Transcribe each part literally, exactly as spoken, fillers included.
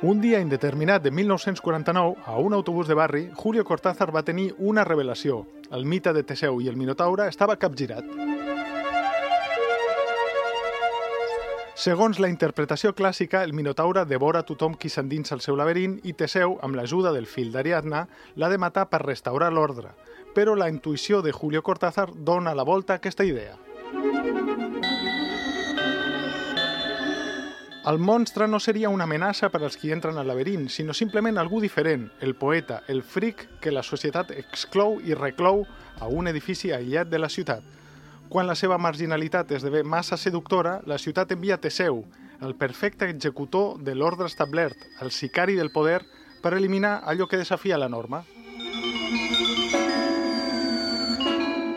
Un dia indeterminat de mil nou-cents quaranta-nou, a un autobús de barri, Julio Cortázar va tenir una revelació. El mite de Teseu i el Minotaure estava capgirat. Segons la interpretació clàssica, el Minotaure devora tothom qui s'endinsa al seu laberint i Teseu, amb l'ajuda del fill d'Ariadna, l'ha de matar per restaurar l'ordre. Però la intuïció de Julio Cortázar dona la volta a aquesta idea. El monstre no seria una amenaça per als qui entren al laberint, sinó simplement algú diferent, el poeta, el fric que la societat exclou i reclou a un edifici aïllat de la ciutat. Quan la seva marginalitat esdevé massa seductora, la ciutat envia Teseu, el perfecte executor de l'ordre establert, el sicari del poder, per eliminar allò que desafia la norma.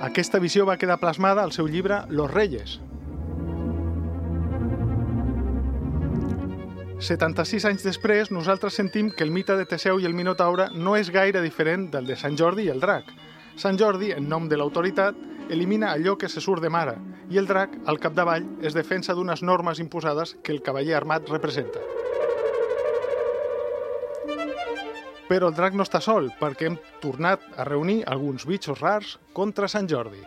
Aquesta visió va quedar plasmada al seu llibre Los Reyes. setanta-sis anys després, nosaltres sentim que el mite de Teseu i el Minotaure no és gaire diferent del de Sant Jordi i el drac. Sant Jordi, en nom de l'autoritat, elimina allò que se surt de mare, i el drac, al capdavall, es defensa d'unes normes imposades que el cavaller armat representa. Però el drac no està sol, perquè hem tornat a reunir alguns bitxos rars contra Sant Jordi.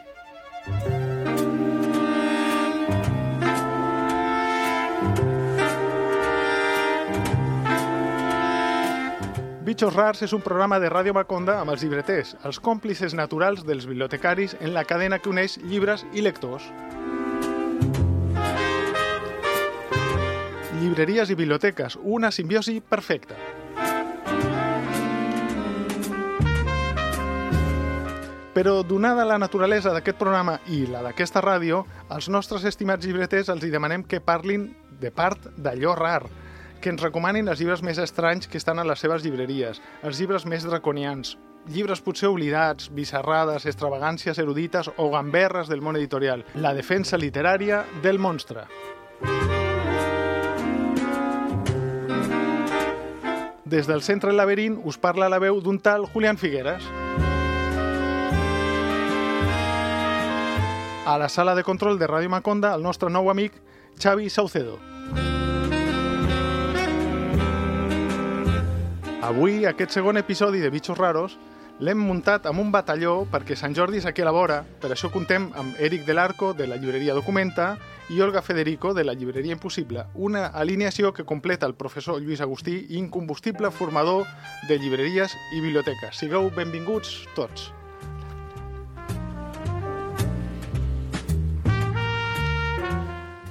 Bitxos Rars és un programa de Ràdio Maconda amb els llibreters, els còmplices naturals dels bibliotecaris en la cadena que uneix llibres i lectors. Llibreries i biblioteques, una simbiosi perfecta. Però, donada la naturalesa d'aquest programa i la d'aquesta ràdio, als nostres estimats llibreters els hi demanem que parlin de part d'allò rar, que ens recomanin els llibres més estranys que estan a les seves llibreries, els llibres més draconians, llibres potser oblidats, bizarrades, extravagàncies erudites o gamberres del món editorial, la defensa literària del monstre. Des del centre del laberint us parla la veu d'un tal Julián Figueras. A la sala de control de Ràdio Maconda, el nostre nou amic Xavi Saucedo. Avui, aquest segon episodi de Bitxos Raros l'hem muntat amb un batalló perquè Sant Jordi és aquí a la vora. Per això contem amb Eric Del Arco, de la llibreria Documenta, i Olga Federico, de la llibreria Impossible. Una alineació que completa el professor Lluís Agustí, incombustible formador de llibreries i biblioteques. Sigueu benvinguts tots.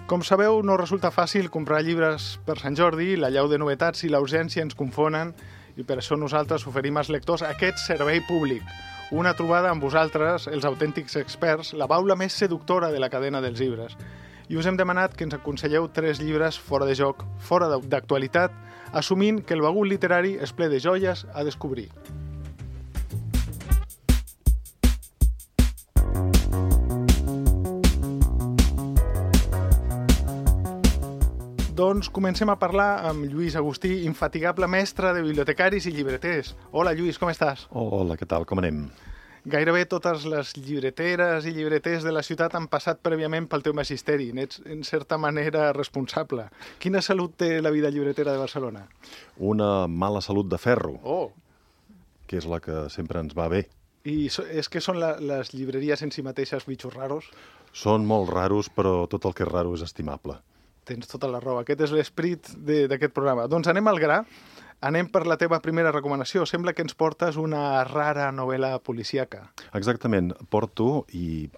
Com sabeu, no resulta fàcil comprar llibres per Sant Jordi, l'allau de novetats i la urgència ens confonen, i per això nosaltres oferim als lectors aquest servei públic. Una trobada amb vosaltres, els autèntics experts, la baula més seductora de la cadena dels llibres. I us hem demanat que ens aconselleu tres llibres fora de joc, fora d'actualitat, assumint que el bagut literari és ple de joies a descobrir. Doncs comencem a parlar amb Lluís Agustí, infatigable mestre de bibliotecaris i llibreters. Hola, Lluís, com estàs? Hola, què tal? Com anem? Gairebé totes les llibreteres i llibreters de la ciutat han passat prèviament pel teu magisteri. N'ets, en certa manera, responsable. Quina salut té la vida llibretera de Barcelona? Una mala salut de ferro, Oh! que és la que sempre ens va bé. I so, és que són la, les llibreries en si mateixes bitxos raros? Són molt raros, però tot el que és raro és estimable. Tens tota la raó. Aquest és l'esperit d'aquest programa. Doncs anem al gra. Anem per la teva primera recomanació. Sembla que ens portes una rara novel·la policíaca. Exactament. Porto, i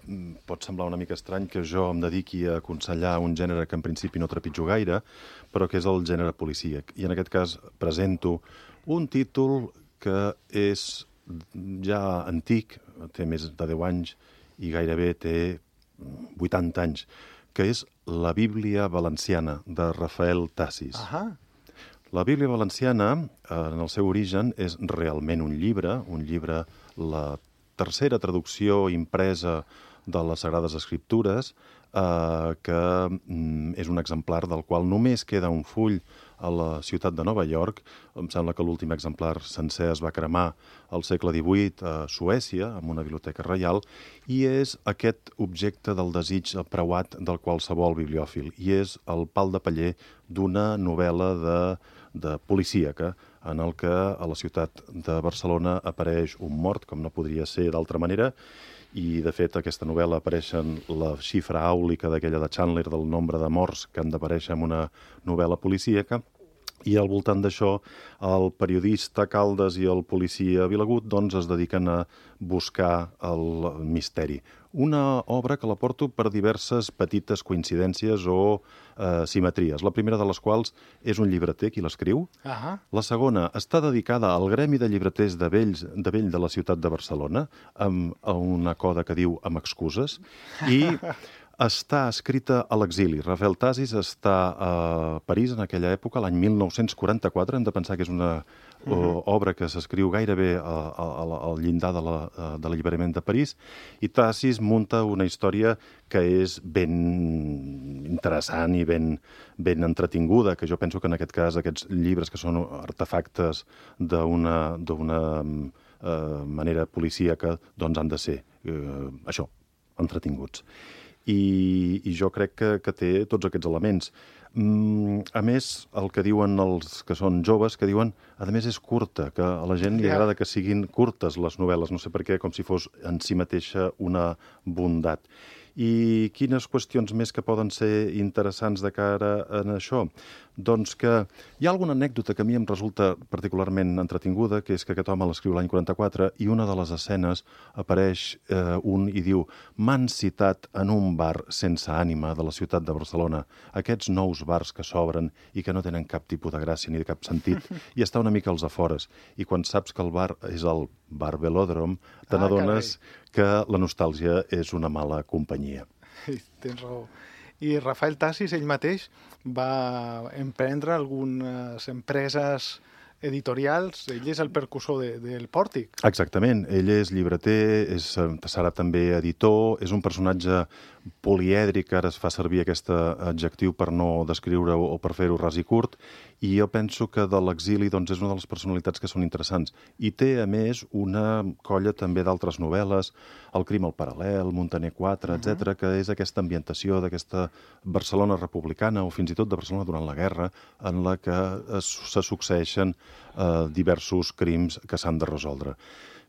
pot semblar una mica estrany que jo em dediqui a aconsellar un gènere que en principi no trepitjo gaire, però que és el gènere policíac. I en aquest cas presento un títol que és ja antic, té més de deu anys i gairebé té vuitanta anys, que és La Bíblia Valenciana, de Rafael Tassis. Ahà. La Bíblia Valenciana, en el seu origen, és realment un llibre, un llibre, la tercera traducció impresa de les Sagrades Escriptures, eh, que mm, és un exemplar del qual només queda un full a la ciutat de Nova York. Em sembla que l'últim exemplar sencer es va cremar al segle divuit a Suècia, en una biblioteca reial, i és aquest objecte del desig preuat del qualsevol bibliòfil, i és el pal de paller d'una novel·la de, de policíaca, en el que a la ciutat de Barcelona apareix un mort, com no podria ser d'altra manera, i, de fet, aquesta novel·la apareixen la xifra àulica d'aquella de Chandler del nombre de morts que han d'aparèixer en una novel·la policíaca, i al voltant d'això el periodista Caldes i el policia Vilagut doncs, es dediquen a buscar el misteri. Una obra que la porto per diverses petites coincidències o eh, simetries. La primera de les quals és un llibreter qui l'escriu. Uh-huh. La segona està dedicada al gremi de llibreters de vells de vell de la ciutat de Barcelona, amb una coda que diu amb excuses, i està escrita a l'exili. Rafael Tasis està a París en aquella època, l'any mil nou-cents quaranta-quatre. Hem de pensar que és una uh-huh. obra que s'escriu gairebé al llindar de l'alliberament de, de París, i Tasis munta una història que és ben interessant i ben, ben entretinguda, que jo penso que en aquest cas aquests llibres que són artefactes d'una d'una eh, manera policíaca doncs han de ser eh, això, entretinguts. I, i jo crec que, que té tots aquests elements. Mm, a més, el que diuen els que són joves, que diuen, a més és curta, que a la gent li agrada que siguin curtes les novel·les, no sé per què, com si fos en si mateixa una bondat. I quines qüestions més que poden ser interessants de cara a això? Doncs que hi ha alguna anècdota que a mi em resulta particularment entretinguda, que és que aquest home l'escriu l'any quaranta-quatre i una de les escenes apareix eh, un i diu: «M'han citat en un bar sense ànima de la ciutat de Barcelona, aquests nous bars que s'obren i que no tenen cap tipus de gràcia ni de cap sentit, i està una mica als afores. I quan saps que el bar és el bar Velòdrom, te ah, n'adones que la nostàlgia és una mala companyia». Tens raó. I Rafael Tasis, ell mateix, va emprendre algunes empreses editorials. Ell és el percussor de, del Pòrtic. Exactament. Ell és llibreter, és, serà també editor, és un personatge polièdric, ara es fa servir aquest adjectiu per no descriure-ho o per fer-ho ras i curt, i jo penso que de l'exili doncs, és una de les personalitats que són interessants. I té, a més, una colla també d'altres novel·les, El crim al paral·lel, Montaner quatre, uh-huh. etcètera, que és aquesta ambientació d'aquesta Barcelona republicana o fins i tot de Barcelona durant la guerra, en la que es, se succeeixen eh, diversos crims que s'han de resoldre.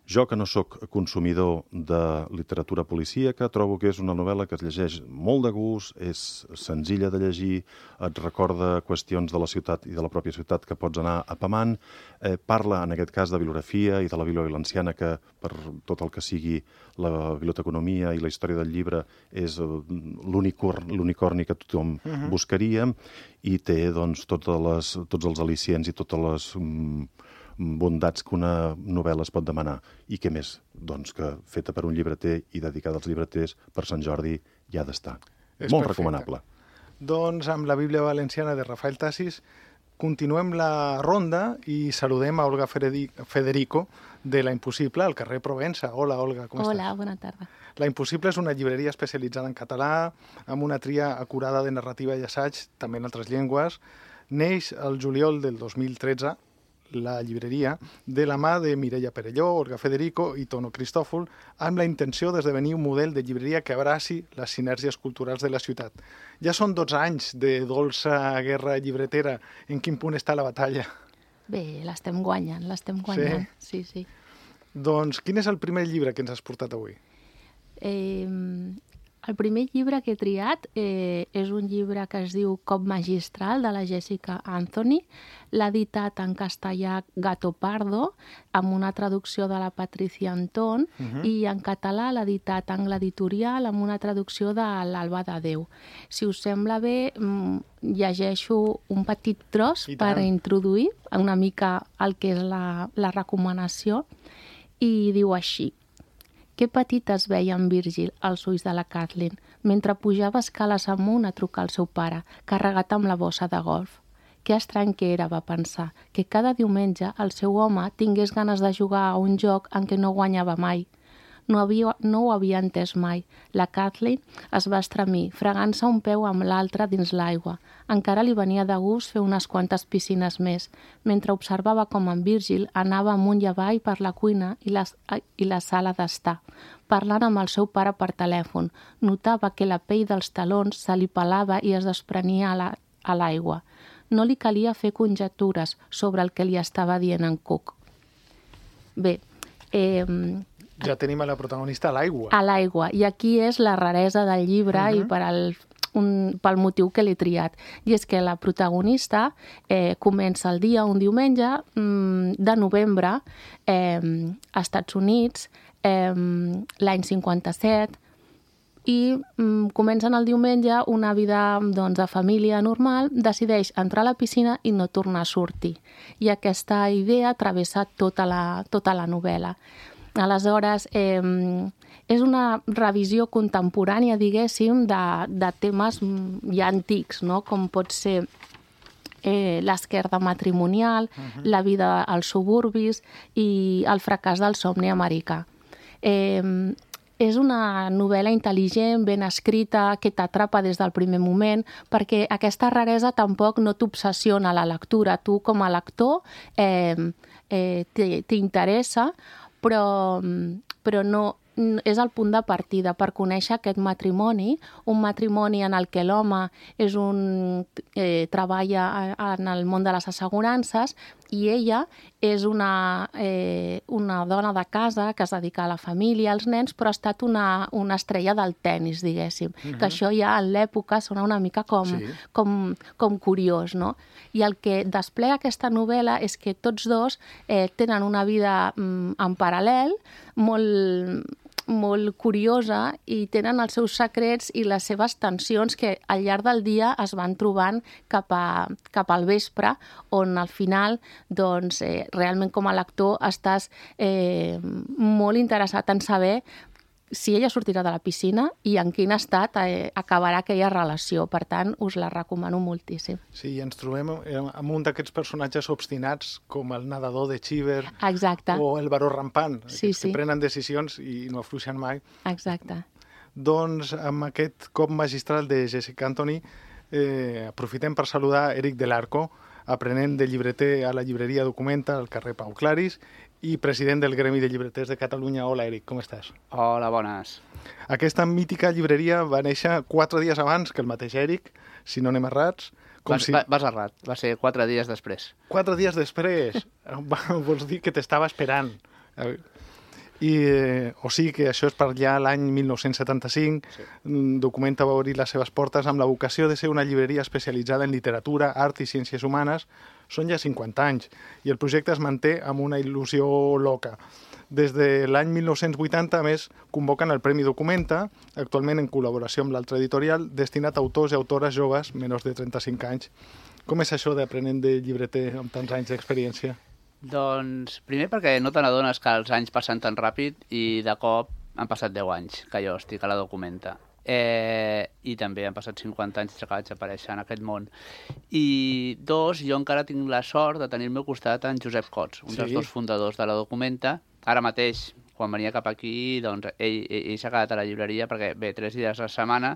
Jo, que no sóc consumidor de literatura policíaca, trobo que és una novel·la que es llegeix molt de gust, és senzilla de llegir, et recorda qüestions de la ciutat i de la pròpia ciutat que pots anar apamant, eh, parla, en aquest cas, de bibliografia i de la Bíblia valenciana, que per tot el que sigui la biblioteconomia i la història del llibre és l'unicorni que tothom uh-huh. buscaria, i té doncs, totes les, tots els al·licients i totes les mm, bondats que una novel·la es pot demanar. I què més? Doncs que feta per un llibreter i dedicada als llibreters, per Sant Jordi ja ha d'estar. És molt perfecte. recomanable. Doncs amb la Bíblia valenciana de Rafael Tasis continuem la ronda i saludem a Olga Federico de La Impossible, al carrer Provença. Hola, Olga, com Hola, estàs? Hola, bona tarda. La Impossible és una llibreria especialitzada en català, amb una tria acurada de narrativa i assaig, també en altres llengües. Neix el juliol del dos mil tretze, la llibreria, de la mà de Mireia Perelló, Olga Federico i Tono Cristòfol, amb la intenció d'esdevenir un model de llibreria que abraci les sinergies culturals de la ciutat. Ja són dotze anys de dolça guerra llibretera. En quin punt està la batalla? Bé, l'estem guanyant, l'estem guanyant. Sí, sí. sí. Doncs quin és el primer llibre que ens has portat avui? Eh, el primer llibre que he triat eh, és un llibre que es diu Cop magistral, de la Jessica Anthony. L'ha editat en castellà Gato Pardo, amb una traducció de la Patricia Antón, uh-huh. i en català l'ha editat Angle Editorial amb una traducció de l'Alba de Déu. Si us sembla bé, llegeixo un petit tros per introduir una mica el que és la, la recomanació, i diu així: que petit es veia en Virgil als ulls de la Kathleen mentre pujava escales amunt a trucar al seu pare, carregat amb la bossa de golf. Que estrany que era, va pensar, que cada diumenge el seu home tingués ganes de jugar a un joc en què no guanyava mai. No, havia, no ho havia entès mai. La Kathleen es va estremir, fregant-se un peu amb l'altre dins l'aigua. Encara li venia de gust fer unes quantes piscines més, mentre observava com en Virgil anava amunt i avall per la cuina i la, i la sala d'estar, parlant amb el seu pare per telèfon. Notava que la pell dels talons se li pelava i es desprenia a l'aigua. No li calia fer conjectures sobre el que li estava dient en Cook. Bé, eh, ja tenim a la protagonista a l'aigua. A l'aigua, i aquí és la raresa del llibre uh-huh. i per al, un, pel motiu que l'he triat. I és que la protagonista eh, comença el dia, un diumenge mm, de novembre, eh, als Estats Units, eh, l'any cinquanta-set, i mm, comencen el diumenge una vida doncs, de família normal, decideix entrar a la piscina i no tornar a sortir. I aquesta idea travessa tota la, tota la novel·la. Aleshores, eh, és una revisió contemporània, diguéssim, de, de temes ja antics, no? Com pot ser eh, l'esquerda matrimonial, uh-huh. la vida als suburbis i el fracàs del somni americà. Eh, És una novel·la intel·ligent, ben escrita, que t'atrapa des del primer moment, perquè aquesta raresa tampoc no t'obsessiona la lectura. Tu, com a lector, eh, eh, t'interessa, però, però no, és el punt de partida per conèixer aquest matrimoni, un matrimoni en el que l'home és un, eh, treballa en el món de les assegurances i ella és una, eh, una dona de casa que es dedica a la família, als nens, però ha estat una, una estrella del tennis, diguéssim. Uh-huh. Que això ja en l'època sona una mica com, sí. com, com curiós, no? I el que desplega aquesta novel·la és que tots dos eh, tenen una vida mm, en paral·lel, molt molt curiosa, i tenen els seus secrets i les seves tensions que al llarg del dia es van trobant cap, a, cap al vespre, on al final doncs, eh, realment com a lector estàs eh, molt interessat en saber si ella sortirà de la piscina i en quin estat eh, acabarà aquella relació. Per tant, us la recomano moltíssim. Sí, i ens trobem amb un d'aquests personatges obstinats com el nedador de Cheever. Exacte. O el baró rampant, sí, sí. que prenen decisions i no afluixen mai. Exacte. Doncs amb aquest cop magistral de Jessica Anthony eh, aprofitem per saludar Eric Del Arco, aprenent de llibreter a la llibreria Documenta al carrer Pau Claris i president del Gremi de Llibreters de Catalunya. Hola, Eric, com estàs? Hola, bones. Aquesta mítica llibreria va néixer quatre dies abans que el mateix Eric, si no anem errats. Com vas, si... vas errat, va ser quatre dies després. Quatre dies després? Vols dir que t'estava esperant. I, eh, o sigui que això és per allà l'any mil nou-cents setanta-cinc. Sí. Documenta va obrir les seves portes amb la vocació de ser una llibreria especialitzada en literatura, art i ciències humanes. Són ja cinquanta anys i el projecte es manté amb una il·lusió loca. Des de l'any mil nou-cents vuitanta, a més, convoquen el Premi Documenta, actualment en col·laboració amb l'altre editorial, destinat a autors i autores joves menys de trenta-cinc anys. Com és això d'aprenent de llibreter amb tants anys d'experiència? Doncs, primer perquè no te n'adones que els anys passen tan ràpid i de cop han passat deu anys que jo estic a la Documenta. Eh, I també han passat cinquanta anys que vaig aparèixer en aquest món. I dos, jo encara tinc la sort de tenir al meu costat en Josep Cots, un sí. dels dos fundadors de la Documenta. Ara mateix, quan venia cap aquí, doncs ell, ell, ell s'ha quedat a la llibreria perquè ve tres dies a la setmana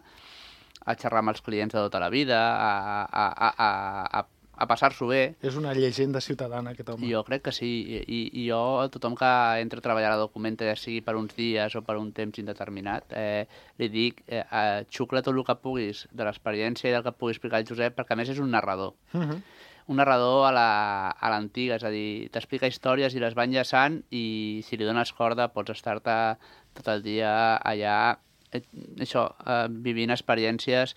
a xerrar amb els clients de tota la vida, a, a, a, a, a a passar-s'ho bé. És una llegenda ciutadana, aquest home. Jo crec que sí. I, i jo, a tothom que entra a treballar a la Documenta, ja sigui per uns dies o per un temps indeterminat, eh, li dic, eh, eh, xucla tot el que puguis de l'experiència i del que pugui explicar el Josep, perquè a més és un narrador. Uh-huh. Un narrador a l'antiga, és a dir, t'explica històries i les va enllaçant i si li dones corda pots estar-te tot el dia allà, eh, això, eh, vivint experiències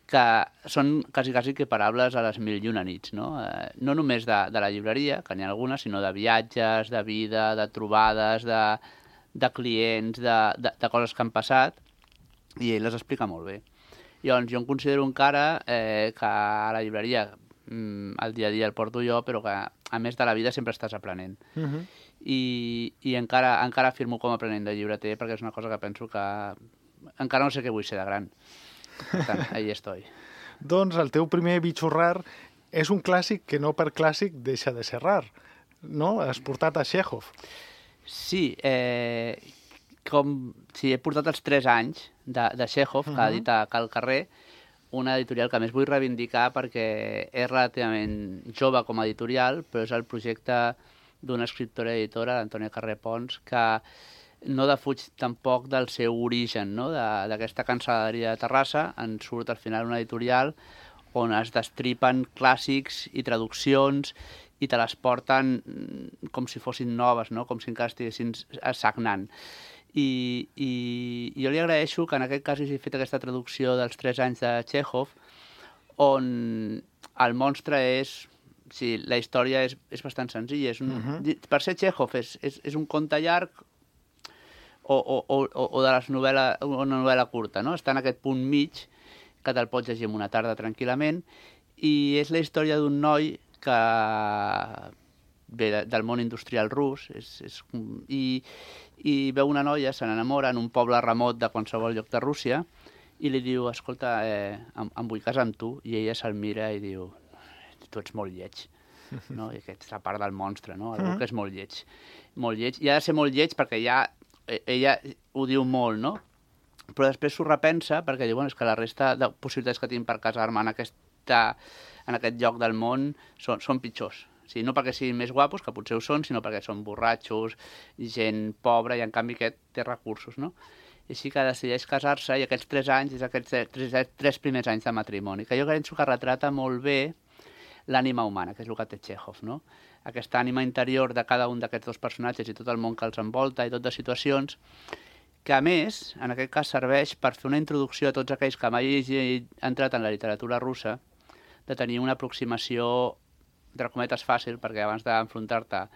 que són quasi, quasi equiparables a les mil i una nits, no? Eh, no només de, de la llibreria, que n'hi ha algunes, sinó de viatges, de vida, de trobades, de, de clients, de, de, de coses que han passat, i ell les explica molt bé. Llavors, jo em considero encara eh, que a la llibreria mm, el dia a dia el porto jo, però que a més de la vida sempre estàs aprenent. Uh-huh. I, i encara, encara afirmo com a aprenent de llibreter, perquè és una cosa que penso que encara no sé què vull ser de gran. Per tant, ahí estoy. Doncs el teu primer bitxo rar és un clàssic que no per clàssic deixa de ser rar, no? Has portat a Chekhov. Sí, eh, com si he portat els tres anys de, de Chekhov, uh -huh. que ha dit a Cal Carrer, una editorial que a més vull reivindicar perquè és relativament jove com a editorial, però és el projecte d'una escriptora i editora, l'Antònia Carrer Pons, que no defuig tampoc del seu origen, no? D'aquesta cansaladeria de Terrassa, en surt al final una editorial on es destripen clàssics i traduccions i te les porten com si fossin noves, no? Com si encara estiguessin sagnant. I, i, i jo li agraeixo que en aquest cas hagi fet aquesta traducció dels tres anys de Chekhov, on el monstre és... Sí, la història és, és bastant senzilla. És un, uh-huh. Per ser Chekhov és, és, és un conte llarg o, o, o, o de les novel·la, una novel·la curta, no? Està en aquest punt mig que te'l pots llegir en una tarda tranquil·lament, i és la història d'un noi que ve de, del món industrial rus és, és, i, i veu una noia, se n'enamora en un poble remot de qualsevol lloc de Rússia i li diu, escolta, eh, em, em vull casar amb tu, i ella se'l mira i diu, tu ets molt lleig, no? I aquesta és la part del monstre, no? Algú que és molt lleig, molt lleig, i ha de ser molt lleig perquè ja ella ho diu molt, no? Però després s'ho repensa perquè diu, bueno, és que la resta de possibilitats que tinc per casar-me en, aquesta, en aquest lloc del món són, són pitjors. O sigui, no perquè siguin més guapos, que potser ho són, sinó perquè són borratxos, gent pobra, i en canvi aquest té recursos, no? I així que decideix casar-se, i aquests tres anys és aquests tres, tres primers anys de matrimoni, que jo penso que retrata molt bé l'ànima humana, que és el que té Chekhov, no? Aquesta ànima interior de cada un d'aquests dos personatges i tot el món que els envolta i tot de situacions, que a més, en aquest cas, serveix per fer una introducció a tots aquells que mai hagin entrat en la literatura russa, de tenir una aproximació, entre cometes, fàcil, perquè abans d'enfrontar-te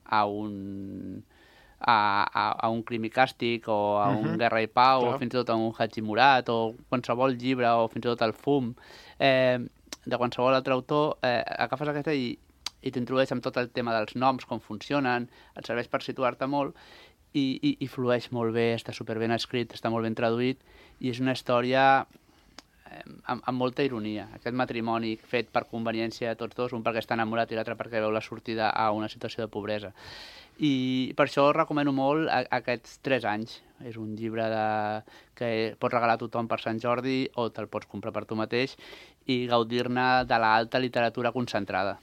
a un... A, a, a un Crim i Càstig o a un uh-huh. Guerra i Pau, clar, o fins i tot a un Haji Murat o qualsevol llibre o fins i tot el Fum, eh, de qualsevol altre autor, eh, agafes aquesta i, i t'introdueix amb tot el tema dels noms, com funcionen, et serveix per situar-te molt i, i, i flueix molt bé, està superben escrit, està molt ben traduït i és una història eh, amb, amb molta ironia. Aquest matrimoni fet per conveniència de tots dos, un perquè està enamorat i l'altre perquè veu la sortida a una situació de pobresa. I per això recomano molt a, a aquests tres anys. És un llibre de, que pots regalar a tothom per Sant Jordi o te'l pots comprar per tu mateix i gaudir-ne de l'alta literatura concentrada.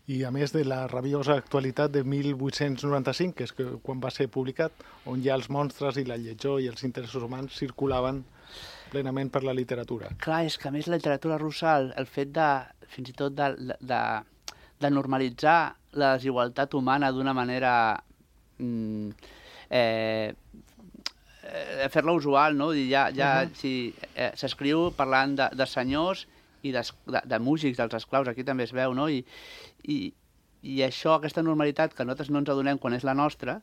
I a més de la rabiosa actualitat de mil vuit-cents noranta-cinc, que és que quan va ser publicat, on ja els monstres i la lletjor i els interessos humans circulaven plenament per la literatura. Clar, és que a més la literatura russa, el, el fet de, fins i tot de, de, de normalitzar la desigualtat humana d'una manera mm, eh, eh, fer-la usual, no? Ja, ja, uh-huh. si, eh, s'escriu parlant de, de senyors i de, de, de músics, dels esclaus, aquí també es veu, no? I, i, i això, aquesta normalitat que nosaltres no ens adonem quan és la nostra,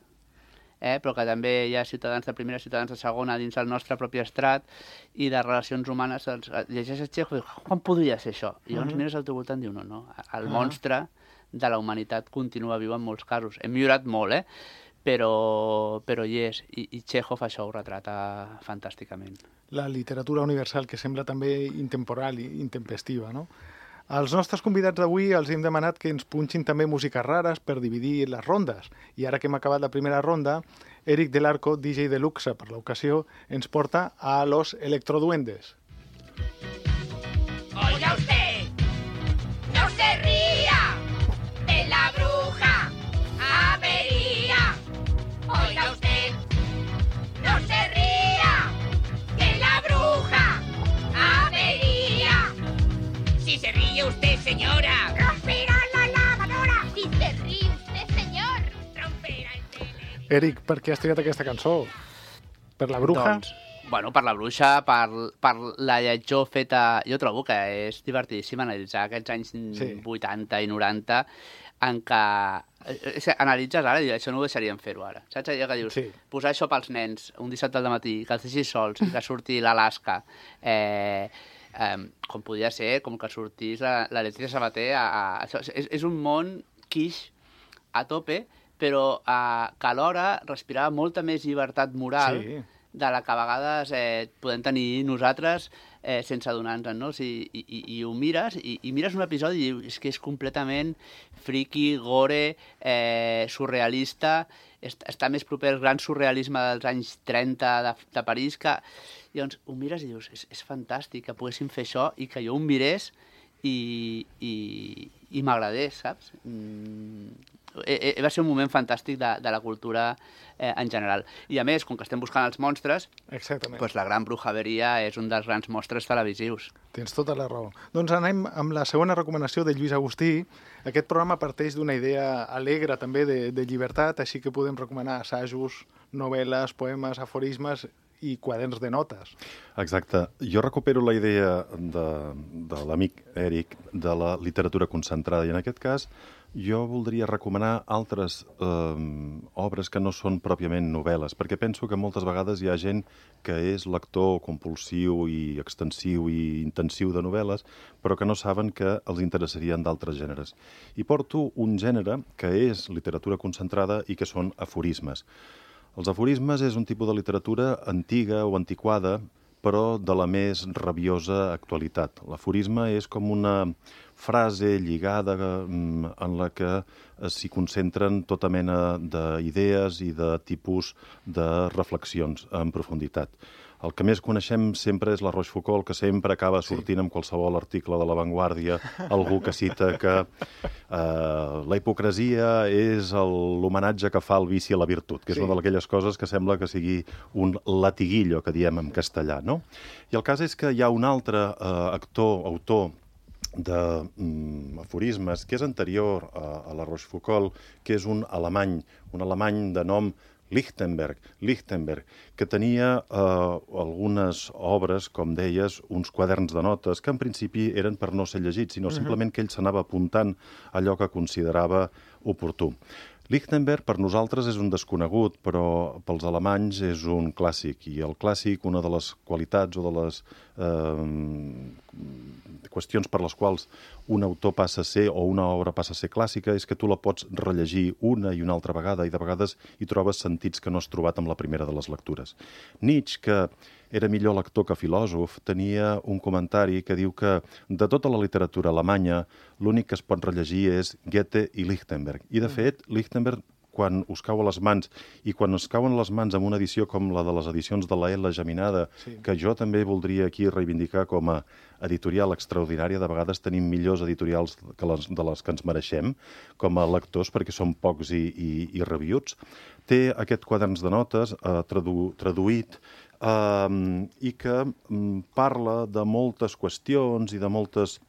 eh, però que també hi ha ciutadans de primera, ciutadans de segona dins del nostre propi estrat i de relacions humanes, els, llegeixes Chekhov i dius, quan podria ser això? I llavors uh-huh. mires al teu voltant i dius, no, no, el uh-huh. monstre de la humanitat continua viu en molts casos. Hem millorat molt, eh? Però, però hi és. I, i Chekhov això ho retrata fantàsticament. La literatura universal, que sembla també intemporal i intempestiva, no? Als nostres convidats d'avui els hem demanat que ens punxin també músiques rares per dividir les rondes. I ara que hem acabat la primera ronda, Eric Del Arco, D J de luxe per l'ocasió, ens porta a Los Electroduendes. Oiga usted, no se ría de la bruja avería. Oiga usted, no se ría de la bruja avería. Si se ríe usted, señora, romperá la lavadora. Si se ríe usted, señor, romperá el tele. Eric, per què has triat aquesta cançó? Per la bruja? Doncs, bueno, per la bruixa, per, per la lletjor feta... Jo trobo que és divertidíssim analitzar aquests anys sí. vuitanta i noranta en què... Analitzes ara i això no ho deixaríem fer-ho ara. Saps allò que dius? Sí. Posar això pels nens un dissabte al matí, que els deixis sols, que surti l'Alaska, eh, eh, com podria ser, com que sortís la, la Letizia Sabater. A, a, això, és, és un món quiche a tope, però eh, que alhora respirava molta més llibertat moral sí. de la que a vegades eh, podem tenir nosaltres eh, sense adonar-nos, no? O sigui, i, i, i ho mires, i, i mires un episodi i dius és que és completament friki, gore, eh, surrealista, est està més proper al gran surrealisme dels anys trenta de, de París, que llavors ho mires i dius, és, és fantàstic que poguéssim fer això i que jo ho mirés i, i, i m'agradés, saps? Mm, eh, eh, va ser un moment fantàstic de, de la cultura eh, en general. I a més, com que estem buscant els monstres, doncs la Gran Brujeria és un dels grans monstres televisius. Tens tota la raó. Doncs anem amb la segona recomanació de Lluís Agustí. Aquest programa parteix d'una idea alegre també de, de llibertat, així que podem recomanar assajos, novel·les, poemes, aforismes i quaderns de notes. Exacte. Jo recupero la idea de, de l'amic Eric de la literatura concentrada, i en aquest cas jo voldria recomanar altres eh, obres que no són pròpiament novel·les, perquè penso que moltes vegades hi ha gent que és lector compulsiu i extensiu i intensiu de novel·les, però que no saben que els interessarien d'altres gèneres. I porto un gènere que és literatura concentrada i que són aforismes. Els aforismes és un tipus de literatura antiga o antiquada, però de la més rabiosa actualitat. L'aforisme és com una frase lligada en la que s'hi concentren tota mena d'idees i de tipus de reflexions en profunditat. El que més coneixem sempre és la Rochefoucauld, que sempre acaba sortint en qualsevol article de La Vanguardia, algú que cita que eh, la hipocresia és l'homenatge que fa el vici a la virtut, que és sí. una d'aquelles coses que sembla que sigui un latiguillo, que diem en castellà, no? I el cas és que hi ha un altre eh, actor, autor, d'aforismes, que és anterior a, a la Rochefoucauld, que és un alemany, un alemany de nom Lichtenberg, Lichtenberg, que tenia eh, algunes obres, com deies, uns quaderns de notes, que en principi eren per no ser llegits, sinó simplement que ell s'anava apuntant allò que considerava oportú. Lichtenberg per nosaltres és un desconegut, però pels alemanys és un clàssic. I el clàssic, una de les qualitats o de les eh, qüestions per les quals un autor passa a ser o una obra passa a ser clàssica és que tu la pots rellegir una i una altra vegada i de vegades hi trobes sentits que no has trobat amb la primera de les lectures. Nietzsche, que era millor lector que filòsof, tenia un comentari que diu que de tota la literatura alemanya l'únic que es pot rellegir és Goethe i Lichtenberg. I de fet, Lichtenberg, quan us cau a les mans, i quan us cauen a les mans amb una edició com la de les edicions de la L geminada, sí. que jo també voldria aquí reivindicar com a editorial extraordinària, de vegades tenim millors editorials que les, de les que ens mereixem, com a lectors, perquè són pocs i, i, i reviuts, té aquest quaderns de notes eh, tradu, traduït Um, i que um, parla de moltes qüestions i de moltes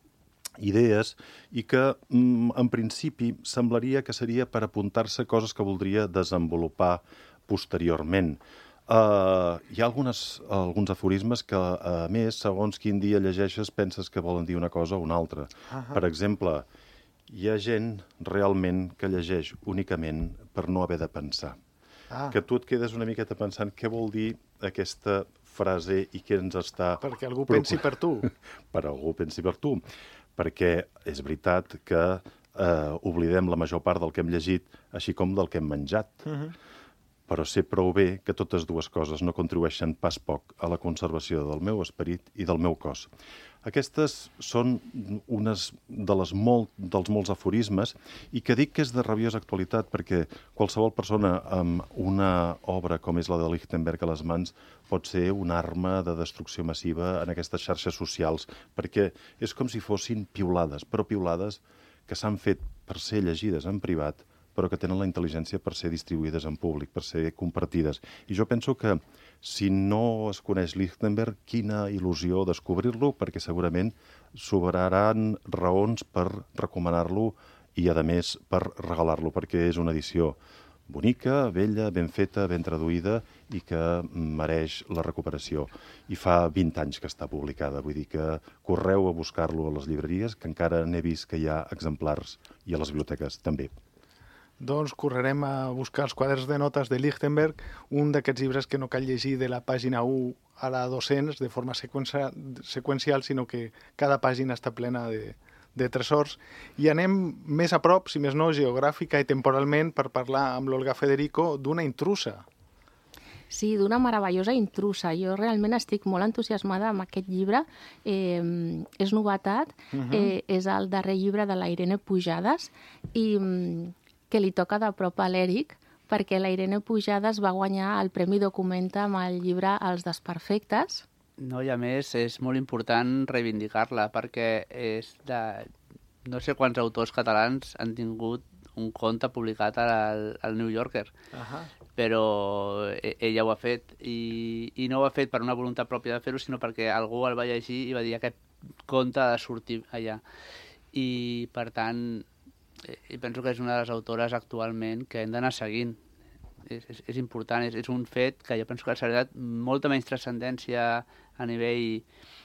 idees i que, um, en principi, semblaria que seria per apuntar-se coses que voldria desenvolupar posteriorment. Uh, hi ha algunes, alguns aforismes que, a més, segons quin dia llegeixes, penses que volen dir una cosa o una altra. Uh-huh. Per exemple, hi ha gent realment que llegeix únicament per no haver de pensar. Ah. Que tu et quedes una miqueta pensant què vol dir aquesta frase i què ens està... Perquè algú pensi per tu. Per algú pensi per tu. Perquè és veritat que eh, oblidem la major part del que hem llegit, així com del que hem menjat. Uh-huh. Però sé prou bé que totes dues coses no contribueixen pas poc a la conservació del meu esperit i del meu cos. Aquestes són unes de les molt, dels molts aforismes i que dic que és de rabiosa actualitat perquè qualsevol persona amb una obra com és la de Lichtenberg a les mans pot ser una arma de destrucció massiva en aquestes xarxes socials perquè és com si fossin piulades, però piulades que s'han fet per ser llegides en privat però que tenen la intel·ligència per ser distribuïdes en públic, per ser compartides. I jo penso que si no es coneix Lichtenberg, quina il·lusió descobrir-lo, perquè segurament sobraran raons per recomanar-lo i, a més, per regalar-lo, perquè és una edició bonica, bella, ben feta, ben traduïda i que mereix la recuperació. I fa vint anys que està publicada, vull dir que correu a buscar-lo a les llibreries, que encara n'he vist que hi ha exemplars i a les biblioteques també. Doncs correrem a buscar els quaderns de notes de Lichtenberg, un d'aquests llibres que no cal llegir de la pàgina u a la dos-cents de forma seqüencial, seqüencial sinó que cada pàgina està plena de, de tresors. I anem més a prop, si més no, geogràfica i temporalment, per parlar amb l'Olga Federico d'una intrusa. Sí, d'una meravellosa intrusa. Jo realment estic molt entusiasmada amb aquest llibre. Eh, és novetat, uh-huh. eh, és el darrer llibre de la Irene Pujades i... que li toca de prop a l'Eric, perquè la Irene Pujades va guanyar el Premi Documenta amb el llibre Els desperfectes. No, i a més és molt important reivindicar-la perquè és de... no sé quants autors catalans han tingut un conte publicat al, al New Yorker, Ahà. però ella ho ha fet i, i no ho ha fet per una voluntat pròpia de fer-ho, sinó perquè algú el va llegir i va dir aquest conte ha de sortir allà. I, per tant, i penso que és una de les autores actualment que hem d'anar seguint. És, és, és important, és, és un fet que jo penso que s'ha donat molta menys transcendència a nivell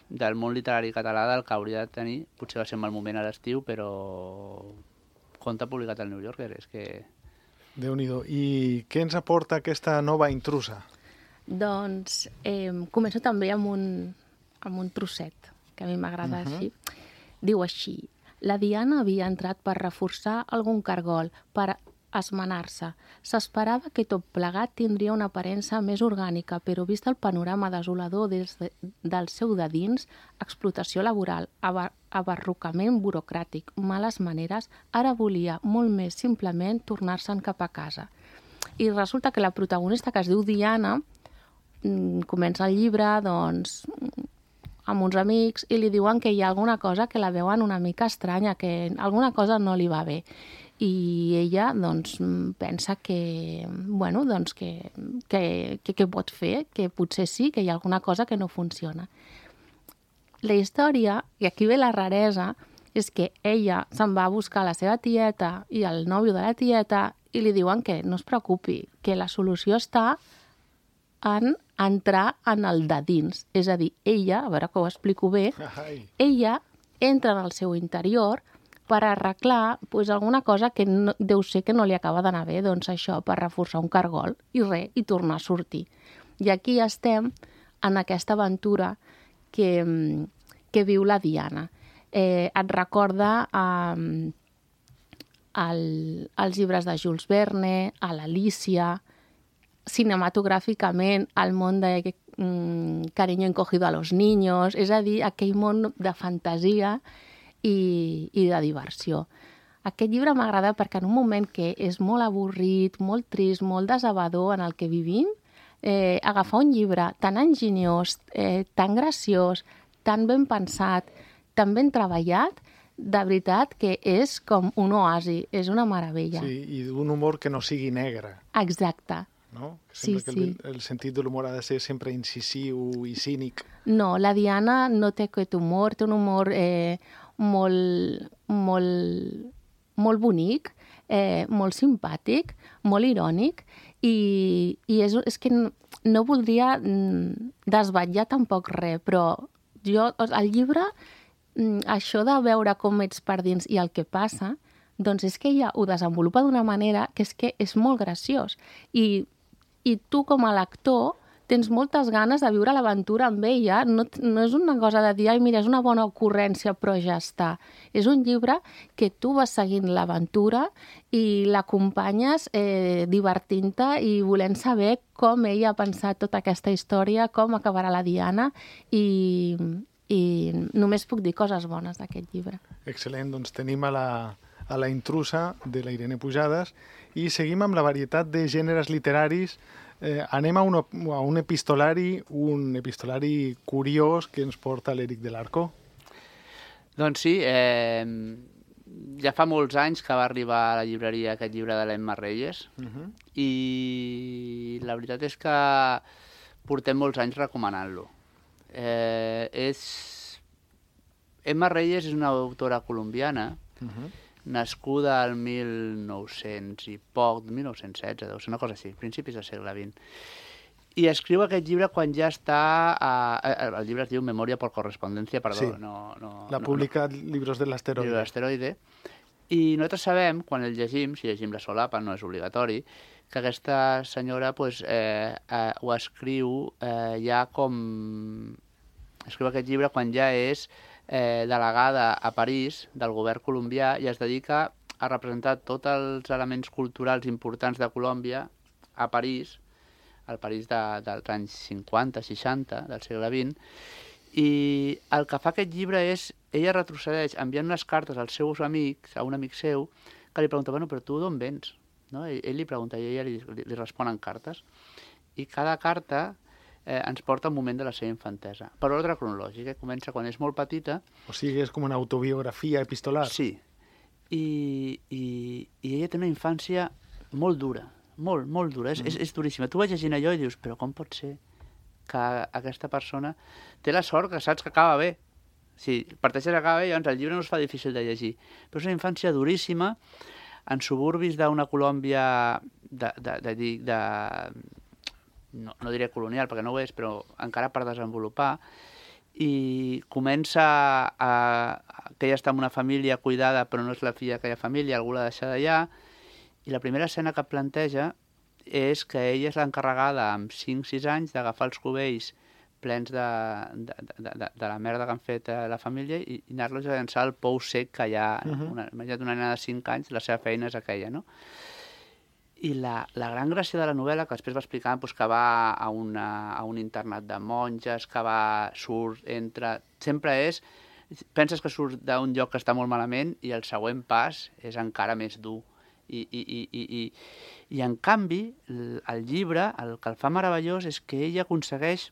del món literari català del que hauria de tenir. Potser va ser en mal moment a l'estiu, però conte publicat al New Yorker, és que... Déu-n'hi-do. I què ens aporta aquesta nova intrusa? Doncs eh, començo també amb un, amb un trosset, que a mi m'agrada uh-huh. així. Diu així: la Diana havia entrat per reforçar algun cargol, per esmenar-se. S'esperava que tot plegat tindria una aparença més orgànica, però vist el panorama desolador des de, del seu de dins, explotació laboral, abar abarrocament burocràtic, males maneres, ara volia molt més simplement tornar-se'n cap a casa. I resulta que la protagonista, que es diu Diana, comença el llibre, doncs, amb uns amics, i li diuen que hi ha alguna cosa que la veuen una mica estranya, que alguna cosa no li va bé. I ella doncs, pensa que, bueno, doncs que, que, que, que pot fer, que potser sí, que hi ha alguna cosa que no funciona. La història, i aquí ve la raresa, és que ella se'n va a buscar la seva tieta i el nòvio de la tieta i li diuen que no es preocupi, que la solució està en entrar en el de dins. És a dir, ella, a veure que ho explico bé, Ai. ella entra en el seu interior per arreglar pues, alguna cosa que no, deu ser que no li acaba d'anar bé, doncs això, per reforçar un cargol, i res, i tornar a sortir. I aquí estem en aquesta aventura que, que viu la Diana. Eh, et recorda eh, el, els llibres de Jules Verne, a l'Alícia, cinematogràficament, el món de mm, Cariño encogido a los niños, és a dir, aquell món de fantasia i, i de diversió. Aquest llibre m'agrada perquè en un moment que és molt avorrit, molt trist, molt desabador en el que vivim, eh, agafar un llibre tan enginyós, eh, tan graciós, tan ben pensat, tan ben treballat, de veritat que és com un oasi, és una meravella. Sí, i d'un humor que no sigui negre. Exacte. No? Sí, Sempre que sí. el, el sentit de l'humor ha de ser sempre incisiu i cínic. No, la Diana no té aquest humor, té un humor eh, molt, molt, molt bonic, eh, molt simpàtic, molt irònic, i, i és, és que no, no voldria desvetllar tampoc res, però jo, el llibre, això de veure com ets per dins i el que passa, doncs és que ella ho desenvolupa d'una manera que és que és molt graciós. I, i tu, com a lector, tens moltes ganes de viure l'aventura amb ella. No, no és una cosa de dir, ai, mira, és una bona ocurrència, però ja està. És un llibre que tu vas seguint l'aventura i l'acompanyes eh, divertint-te i volent saber com ella ha pensat tota aquesta història, com acabarà la Diana, i, i només puc dir coses bones d'aquest llibre. Excel·lent, doncs tenim a la, a la intrusa de la Irene Pujades i seguim amb la varietat de gèneres literaris. Eh, anem a un, a un epistolari, un epistolari curiós que ens porta l'Eric de l'Arco. Doncs sí, eh, ja fa molts anys que va arribar a la llibreria aquest llibre de l'Emma Reyes, uh -huh. i la veritat és que portem molts anys recomanant-lo. Eh, és... Emma Reyes és una autora colombiana, uh -huh. nascuda al mil nou-cents i poc, mil nou-cents setze, deu ser una cosa així, principis del segle vint. I escriu aquest llibre quan ja està... A... El llibre es diu Memòria por correspondencia, perdó. Sí, no, no, la no, publica no. Libros de l'Asteroide. Libros de l'Asteroide. I nosaltres sabem, quan el llegim, si llegim la solapa, no és obligatori, que aquesta senyora pues, eh, eh, ho escriu eh, ja com... Escriu aquest llibre quan ja és eh, delegada a París del govern colombià i es dedica a representar tots els elements culturals importants de Colòmbia a París, al París de, dels anys cinquanta, seixanta, del segle vint, i el que fa aquest llibre és, ella retrocedeix enviant unes cartes als seus amics, a un amic seu, que li pregunta, bueno, però tu d'on vens? no? Ell, ell li pregunta i ella li, li, li respon en cartes. I cada carta eh, ens porta un moment de la seva infantesa. Per ordre cronològic, eh? Comença quan és molt petita. O sigui, és com una autobiografia epistolar. Sí. I, i, i ella té una infància molt dura, molt, molt dura. És, mm. és, és duríssima. Tu vas llegint allò i dius, però com pot ser que aquesta persona té la sort que saps que acaba bé? Si parteixes a acaba bé, llavors el llibre no es fa difícil de llegir. Però és una infància duríssima en suburbis d'una Colòmbia de, de, de, de, de no, no diré colonial, perquè no ho és, però encara per desenvolupar, i comença a, a, que ella està en una família cuidada, però no és la filla d'aquella família, algú l'ha deixat allà, i la primera escena que planteja és que ella és l'encarregada amb cinc sis anys d'agafar els cubells plens de, de, de, de, de la merda que han fet a la família i, i anar-los a llançar al pou sec que hi ha. Uh-huh. Una, imagina't una nena de cinc anys, la seva feina és aquella, no? I la, la gran gràcia de la novel·la, que després va explicar doncs, que va a, una, a un internat de monges, que va, surt, entra... Sempre és... Penses que surt d'un lloc que està molt malament i el següent pas és encara més dur. I, i, i, i, i, i en canvi, el, el llibre, el que el fa meravellós és que ella aconsegueix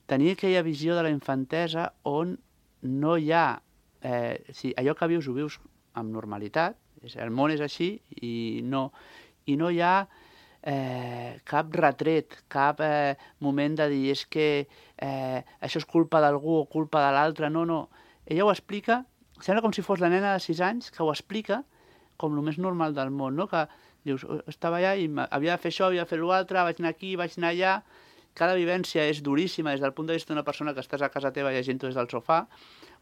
tenir aquella visió de la infantesa on no hi ha... Eh, si allò que vius ho vius amb normalitat, és, el món és així i no, i no hi ha eh, cap retret, cap eh, moment de dir és que eh, això és culpa d'algú o culpa de l'altre, no, no. Ella ho explica, sembla com si fos la nena de sis anys que ho explica com el més normal del món, no? Que dius, estava allà i havia de fer això, havia de fer l'altre, vaig anar aquí, vaig anar allà. Cada vivència és duríssima des del punt de vista d'una persona que estàs a casa teva llegint-ho des del sofà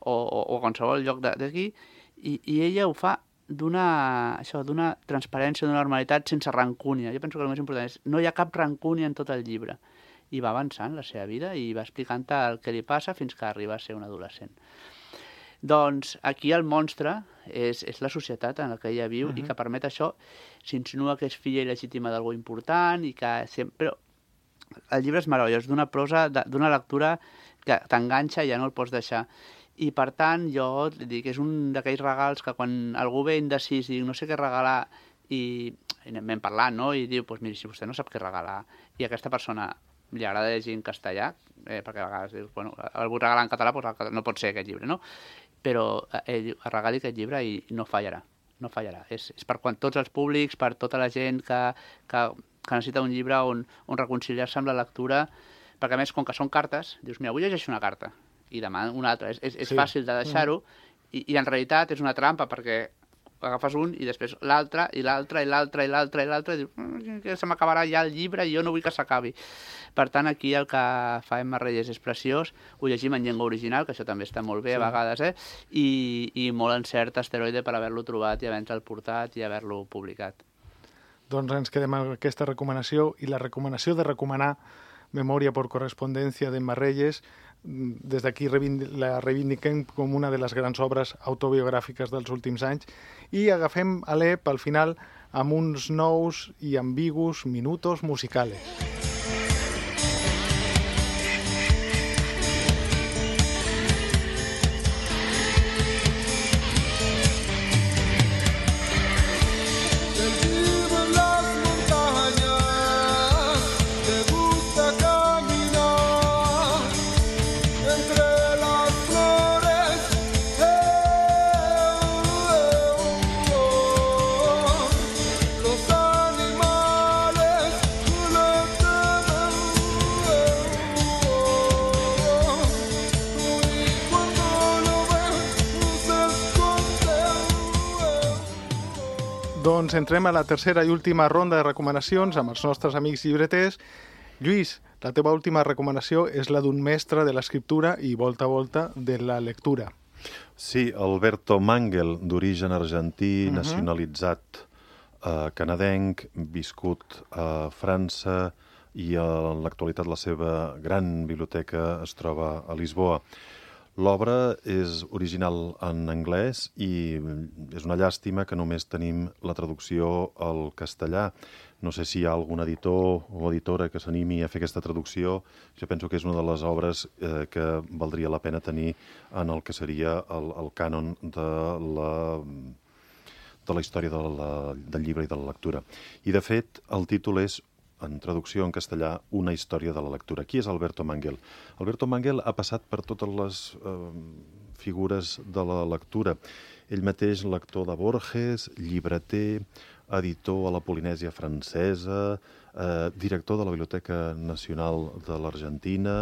o, o, o a qualsevol lloc d'aquí, i, i ella ho fa d'una això d'una transparència, d'una normalitat sense rancúnia. Jo penso que el més important és no hi ha cap rancúnia en tot el llibre. I va avançant la seva vida i va explicant el que li passa fins que arriba a ser un adolescent. Doncs aquí el monstre és, és la societat en la que ella viu uh-huh. i que permet això, s'insinua que és filla il·legítima d'algú important i que sempre... El llibre és meravellós, d'una prosa, d'una lectura que t'enganxa i ja no el pots deixar. I per tant, jo dic, és un d'aquells regals que quan algú ve indecís i no sé què regalar i, i anem parlant, no? I diu, doncs miri, si vostè no sap què regalar i aquesta persona li agrada llegir en castellà, eh, perquè a vegades dius, bueno, el vull regalar en català, doncs no pot ser aquest llibre, no? Però ell regali aquest llibre i no fallarà, no fallarà. És, és per quan tots els públics, per tota la gent que, que, que necessita un llibre on, on reconciliar-se amb la lectura, perquè a més, com que són cartes, dius, mira, avui llegeixo una carta i demà una altra. És, és, és sí. fàcil de deixar-ho i, i en realitat és una trampa perquè agafes un i després l'altre, i l'altre, i l'altre, i l'altre, i l'altre, i dius, que se m'acabarà ja el llibre i jo no vull que s'acabi. Per tant, aquí el que fa Emma Reyes és preciós, ho llegim en llengua original, que això també està molt bé sí. a vegades, eh? I, i molt encert asteroide per haver-lo trobat i haver-lo portat i haver-lo publicat. Doncs ens quedem amb aquesta recomanació i la recomanació de recomanar Memòria por correspondencia d'Emma Reyes. Des d'aquí la reivindiquem com una de les grans obres autobiogràfiques dels últims anys i agafem Alep al final amb uns nous i ambigus minutos musicales. Doncs entrem a la tercera i última ronda de recomanacions amb els nostres amics llibreters. Lluís, la teva última recomanació és la d'un mestre de l'escriptura i volta a volta de la lectura. Sí, Alberto Mangel, d'origen argentí, uh-huh. nacionalitzat eh, canadenc, viscut a França i en l'actualitat la seva gran biblioteca es troba a Lisboa. L'obra és original en anglès i és una llàstima que només tenim la traducció al castellà. No sé si hi ha algun editor o editora que s'animi a fer aquesta traducció. Jo penso que és una de les obres eh, que valdria la pena tenir en el que seria el, el cànon de la, de la història de la, del llibre i de la lectura. I, de fet, el títol és, en traducció en castellà, Una història de la lectura. Qui és Alberto Manguel? Alberto Manguel ha passat per totes les eh, figures de la lectura. Ell mateix, lector de Borges, llibreter, editor a la Polinèsia francesa, eh, director de la Biblioteca Nacional de l'Argentina,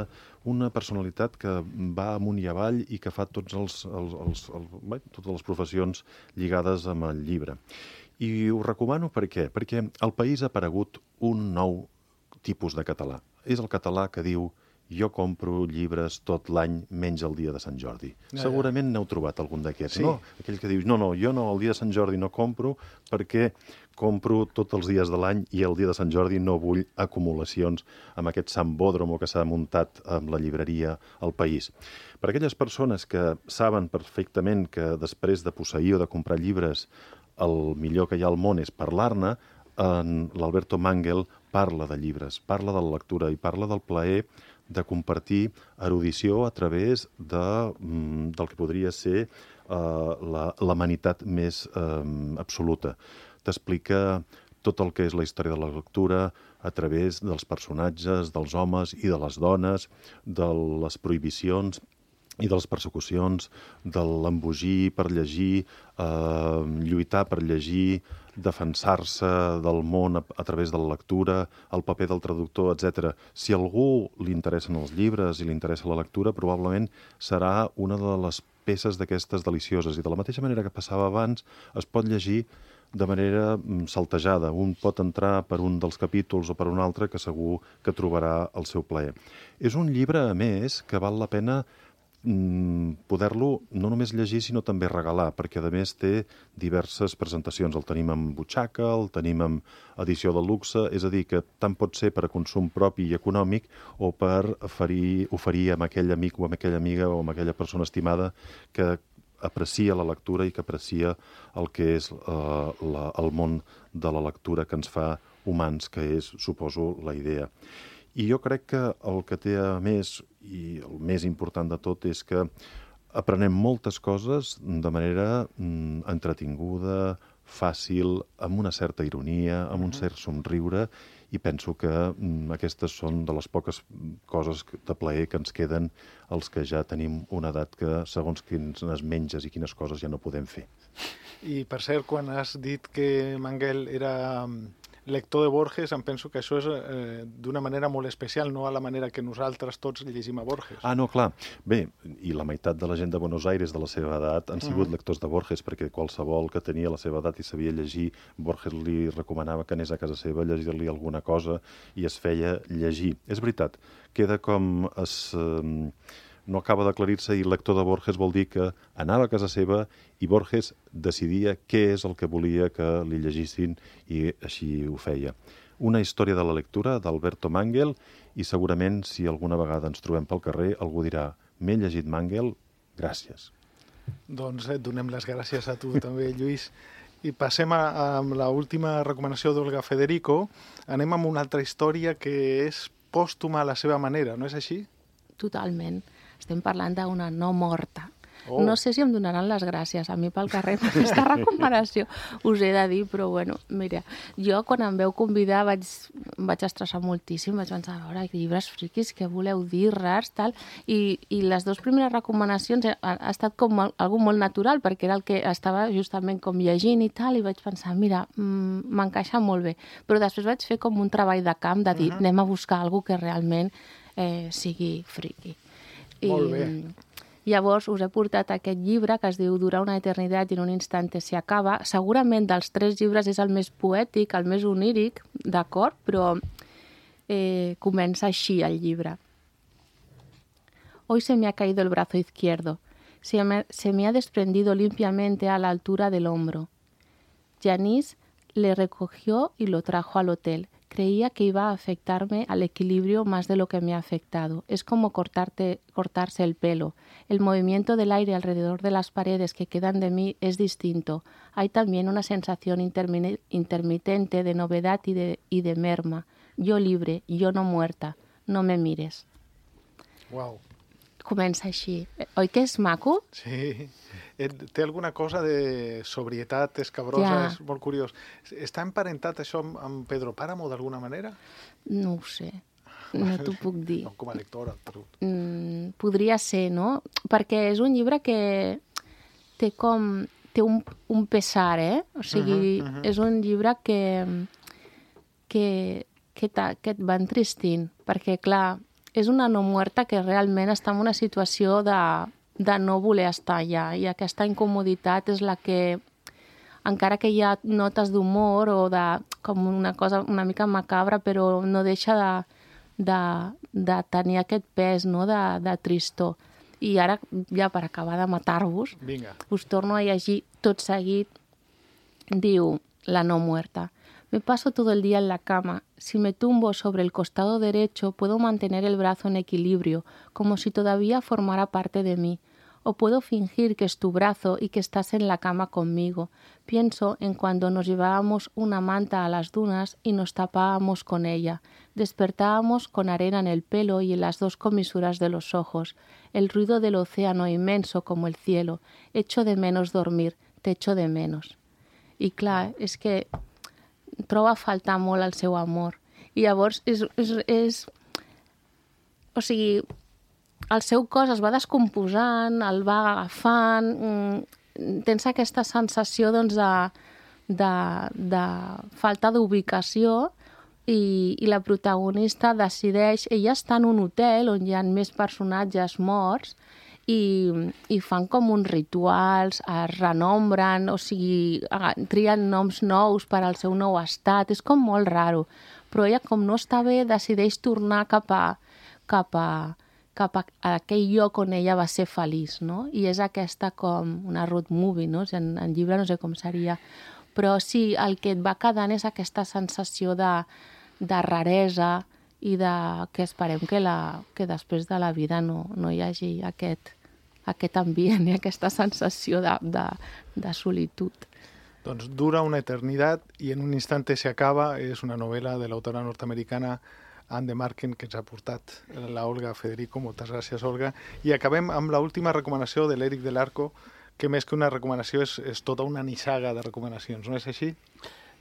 una personalitat que va amunt i avall i que fa tots els, els, els, els, bé, totes les professions lligades amb el llibre. I ho recomano per què? Perquè al país ha aparegut un nou tipus de català. És el català que diu jo compro llibres tot l'any menys el dia de Sant Jordi. Ja, Segurament ja. N'heu trobat algun d'aquests, sí. No? Aquell que diu, no, no, jo no, el dia de Sant Jordi no compro perquè compro tots els dies de l'any i el dia de Sant Jordi no vull acumulacions amb aquest sambòdromo que s'ha muntat amb la llibreria al país. Per aquelles persones que saben perfectament que després de posseir o de comprar llibres el millor que hi ha al món és parlar-ne, l'Alberto Manguel parla de llibres, parla de la lectura i parla del plaer de compartir erudició a través de, del que podria ser uh, l'amenitat més um, absoluta. T'explica tot el que és la història de la lectura a través dels personatges, dels homes i de les dones, de les prohibicions i de les persecucions, de l'embogir per llegir, eh, lluitar per llegir, defensar-se del món a, a través de la lectura, el paper del traductor, etcètera. Si a algú li interessen els llibres i li interessa la lectura, probablement serà una de les peces d'aquestes delicioses. I de la mateixa manera que passava abans, es pot llegir de manera saltejada. Un pot entrar per un dels capítols o per un altre que segur que trobarà el seu plaer. És un llibre, a més, que val la pena poder-lo no només llegir, sinó també regalar, perquè a més té diverses presentacions. El tenim en butxaca, el tenim en edició de luxe, és a dir, que tant pot ser per a consum propi i econòmic o per oferir, oferir a aquell amic o a aquella amiga o a aquella persona estimada que aprecia la lectura i que aprecia el que és eh, la, el món de la lectura que ens fa humans, que és, suposo, la idea. I jo crec que el que té a més, i el més important de tot, és que aprenem moltes coses de manera mm, entretinguda, fàcil, amb una certa ironia, amb un cert somriure, i penso que mm, aquestes són de les poques coses de plaer que ens queden els que ja tenim una edat que, segons quines menges i quines coses, ja no podem fer. I, per cert, quan has dit que Manguel era lector de Borges, em penso que això és eh, d'una manera molt especial, no a la manera que nosaltres tots llegim a Borges. Ah, no, clar. Bé, i la meitat de la gent de Buenos Aires de la seva edat han sigut mm. lectors de Borges, perquè qualsevol que tenia la seva edat i sabia llegir, Borges li recomanava que anés a casa seva a llegir-li alguna cosa i es feia llegir. És veritat, queda com es... Eh, no acaba d'aclarir-se i lector de Borges vol dir que anava a casa seva i Borges decidia què és el que volia que li llegissin i així ho feia. Una història de la lectura d'Alberto Manguel i segurament si alguna vegada ens trobem pel carrer algú dirà m'he llegit Manguel, gràcies. Doncs et donem les gràcies a tu també, Lluís. I passem a, a l'última recomanació d'Olga Federico. Anem amb una altra història que és pòstuma a la seva manera, no és així? Totalment. Estem parlant d'una no morta. Oh. No sé si em donaran les gràcies a mi pel carrer per aquesta recomanació, us he de dir, però bueno, mira, jo quan em veu convidar vaig, vaig estressar moltíssim, vaig pensar, a veure, llibres friquis, què voleu dir, rars, tal, i, i les dues primeres recomanacions ha, ha estat com molt, algo molt natural, perquè era el que estava justament com llegint i tal, i vaig pensar, mira, m'encaixa molt bé, però després vaig fer com un treball de camp de dir, uh-huh. anem a buscar alguna que realment eh, sigui friqui. Molt bé. I llavors us he portat aquest llibre que es diu Dura una eternitat i en un instante se acaba. Segurament dels tres llibres és el més poètic, el més oníric, d'acord? Però eh, comença així el llibre. Hoy se me ha caído el brazo izquierdo. Se me, se me ha desprendido limpiamente a la altura del hombro. Janice le recogió y lo trajo al hotel. Creía que iba a afectarme al equilibrio más de lo que me ha afectado. Es como cortarte, cortarse el pelo. El movimiento del aire alrededor de las paredes que quedan de mí es distinto. Hay también una sensación intermi- intermitente de novedad y de, y de merma. Yo libre, yo no muerta. No me mires. Wow. comença així. Oi que és maco? Sí. Té alguna cosa de sobrietat escabrosa, Ja. és molt curiós. Està emparentat això amb, amb Pedro Páramo, d'alguna manera? No ho sé. No t'ho puc dir. No, com a lectora, però... Mm, podria ser, no? Perquè és un llibre que té com... té un, un pesar, eh? O sigui, Uh -huh, uh -huh. és un llibre que, que, que, ta, que et va entristint. Perquè, clar, és una no muerta que realment està en una situació de, de no voler estar allà. I aquesta incomoditat és la que, encara que hi ha notes d'humor o de, com una cosa una mica macabra, però no deixa de, de, de tenir aquest pes, no?, de, de tristor. I ara, ja per acabar de matar-vos, Vinga. us torno a llegir tot seguit. Diu la no muerta. Me paso todo el día en la cama. Si me tumbo sobre el costado derecho, puedo mantener el brazo en equilibrio, como si todavía formara parte de mí. O puedo fingir que es tu brazo y que estás en la cama conmigo. Pienso en cuando nos llevábamos una manta a las dunas y nos tapábamos con ella. Despertábamos con arena en el pelo y en las dos comisuras de los ojos. El ruido del océano inmenso como el cielo. Echo de menos dormir, te echo de menos. I clar, és que troba a faltar molt el seu amor. I llavors és, és, és... O sigui, el seu cos es va descomposant, el va agafant, mm, tens aquesta sensació doncs, de, de, de falta d'ubicació i, i la protagonista decideix... Ella està en un hotel on hi ha més personatges morts i, i fan com uns rituals, es renombren, o sigui, trien noms nous per al seu nou estat. És com molt raro. Però ella, com no està bé, decideix tornar cap a, cap a, cap a aquell lloc on ella va ser feliç, no? I és aquesta com una road movie, no? En, en llibre no sé com seria. Però sí, el que et va quedant és aquesta sensació de, de raresa i de, que esperem que, la, que després de la vida no, no hi hagi aquest, aquest ambient i aquesta sensació de, de, de solitud. Doncs dura una eternitat i en un instante se acaba. És una novel·la de l'autora nord-americana Ann DeMarken que ens ha portat la Olga Federico. Moltes gràcies, Olga. I acabem amb l'última recomanació de l'Eric del Arco, que més que una recomanació és, és tota una nissaga de recomanacions, no és així?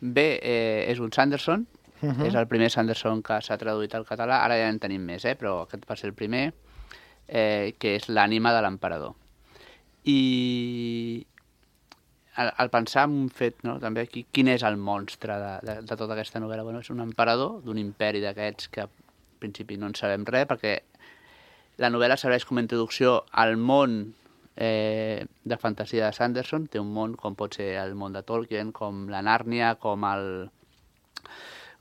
Bé, eh, és un Sanderson. Uh -huh. És el primer Sanderson que s'ha traduït al català. Ara ja en tenim més, eh? Però aquest va ser el primer, eh, que és l'ànima de l'emperador. I al, al pensar en un fet, no? També aquí, quin és el monstre de, de, de tota aquesta novel·la? Bueno, és un emperador d'un imperi d'aquests que al principi no en sabem res, perquè la novel·la serveix com a introducció al món eh, de fantasia de Sanderson. Té un món com pot ser el món de Tolkien, com la Nàrnia, com el...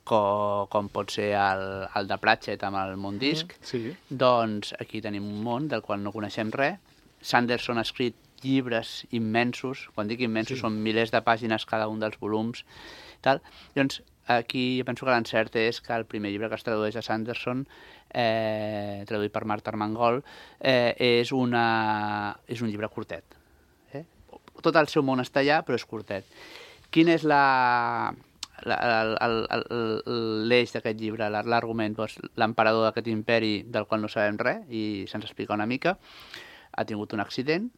Com, com pot ser el, el de Pratchett amb el Mondisc. Sí. Doncs aquí tenim un món del qual no coneixem res. Sanderson ha escrit llibres immensos, quan dic immensos sí. Són milers de pàgines cada un dels volums. Tal. Llavors, aquí jo penso que l'encert és que el primer llibre que es tradueix a Sanderson, eh, traduït per Marta Armengol, eh, és, una, és un llibre curtet. Eh? Tot el seu món està allà, però és curtet. Quina és la... l'eix d'aquest llibre, l'argument, doncs, l'emperador d'aquest imperi del qual no sabem res i se'ns explica una mica, ha tingut un accident,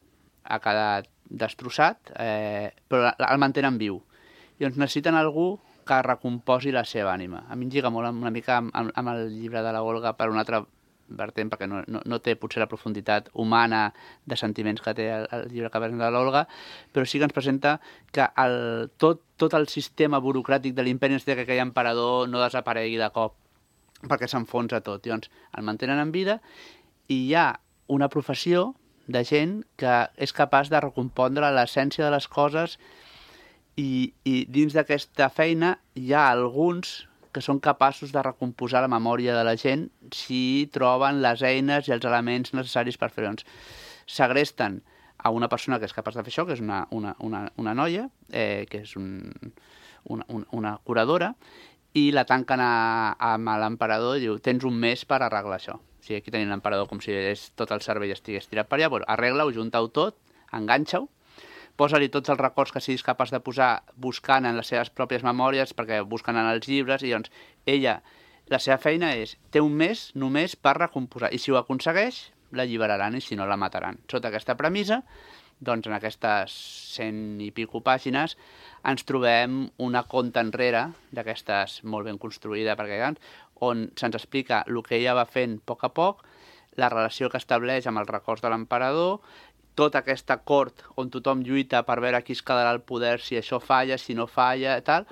ha quedat destrossat, eh, però el mantenen viu. I doncs necessiten algú que recomposi la seva ànima. A mi em lliga molt una mica amb, amb el llibre de la Olga per un altre vertent, perquè no, no, no té potser la profunditat humana de sentiments que té el, el llibre que presenta l'Olga, però sí que ens presenta que el, tot, tot el sistema burocràtic de l'imperi necessita que aquell emperador no desaparegui de cop, perquè s'enfonsa tot. Llavors, el mantenen en vida i hi ha una professió de gent que és capaç de recompondre l'essència de les coses i, i dins d'aquesta feina hi ha alguns que són capaços de recomposar la memòria de la gent si troben les eines i els elements necessaris per fer-ho. Doncs segresten a una persona que és capaç de fer això, que és una, una, una, una noia, eh, que és un, una, una curadora, i la tanquen a, amb l'emperador i diu, tens un mes per arreglar això. O sigui, aquí tenim l'emperador com si tot el cervell estigués tirat per allà, bueno, arregla-ho, junta-ho tot, enganxa-ho, posa-li tots els records que siguis capaç de posar buscant en les seves pròpies memòries, perquè busquen en els llibres, i llavors ella, la seva feina és, té un mes només per recomposar, i si ho aconsegueix, l'alliberaran i si no la mataran. Sota aquesta premissa, doncs en aquestes cent i pico pàgines ens trobem una conta enrere d'aquestes molt ben construïda perquè on se'ns explica el que ella va fent a poc a poc, la relació que estableix amb els records de l'emperador, tota aquesta cort on tothom lluita per veure qui es quedarà al poder, si això falla, si no falla, tal,